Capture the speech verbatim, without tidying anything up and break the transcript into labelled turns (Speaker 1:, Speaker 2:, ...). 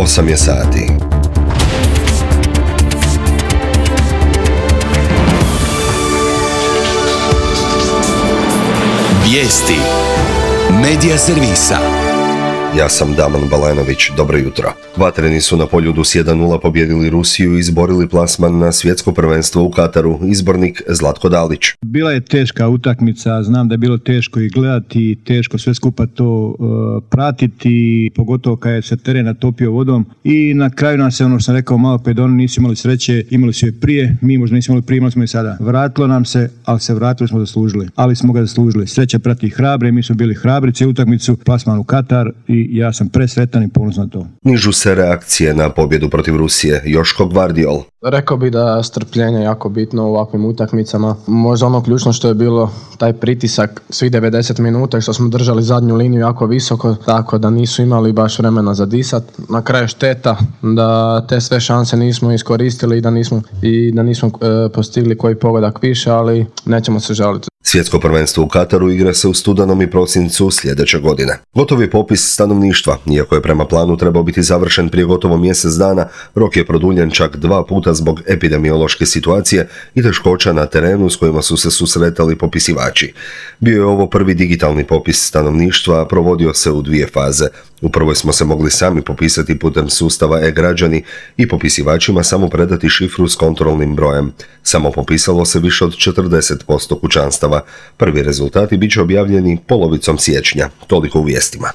Speaker 1: osam je sati.
Speaker 2: Vijesti Medija servisa.
Speaker 1: Ja sam Daman Balenović, dobro jutro. Vatreni su na Poljudu s jedan nula pobijedili Rusiju i izborili plasman na svjetsko prvenstvo u Kataru. Izbornik Zlatko Dalić.
Speaker 3: Bila je teška utakmica, znam da je bilo teško i gledati, teško sve skupa to uh, pratiti, pogotovo kad je se teren natopio vodom i na kraju nas se, ono što sam rekao malo prije, da oni nisu imali sreće, imali su je prije, mi možda nismo imali prije, imali smo i sada. Vratilo nam se, ali se vratili smo zaslužili, ali smo ga zaslužili. Sreća prati hrabre, mi smo bili hrabri cijelu utakmicu, plasman u Katar i ja sam presretan i ponosan na to.
Speaker 1: Nižu se reakcije na pobjedu protiv Rusije. Joško Gvardiol.
Speaker 4: Rekao bi da strpljenje je jako bitno u ovakvim utakmicama. Možda ono ključno što je bilo taj pritisak svih devedeset minuta što smo držali zadnju liniju jako visoko, tako da nisu imali baš vremena za disat. Na kraju šteta da te sve šanse nismo iskoristili i da nismo, i da nismo e, postigli koji pogodak više, ali nećemo se žaliti.
Speaker 1: Svjetsko prvenstvo u Kataru igra se u studenom i prosincu sljedeće godine. Gotov je popis stanovništva. Iako je prema planu trebao biti završen prije gotovo mjesec dana, rok je produljen čak dva puta zbog epidemiološke situacije i teškoća na terenu s kojima su se susretali popisivači. Bio je ovo prvi digitalni popis stanovništva, a provodio se u dvije faze. U prvoj smo se mogli sami popisati putem sustava e-građani i popisivačima samo predati šifru s kontrolnim brojem. Samo popisalo se više od četrdeset posto kućanstava. Prvi rezultati bit će objavljeni polovicom siječnja. Toliko u vijestima.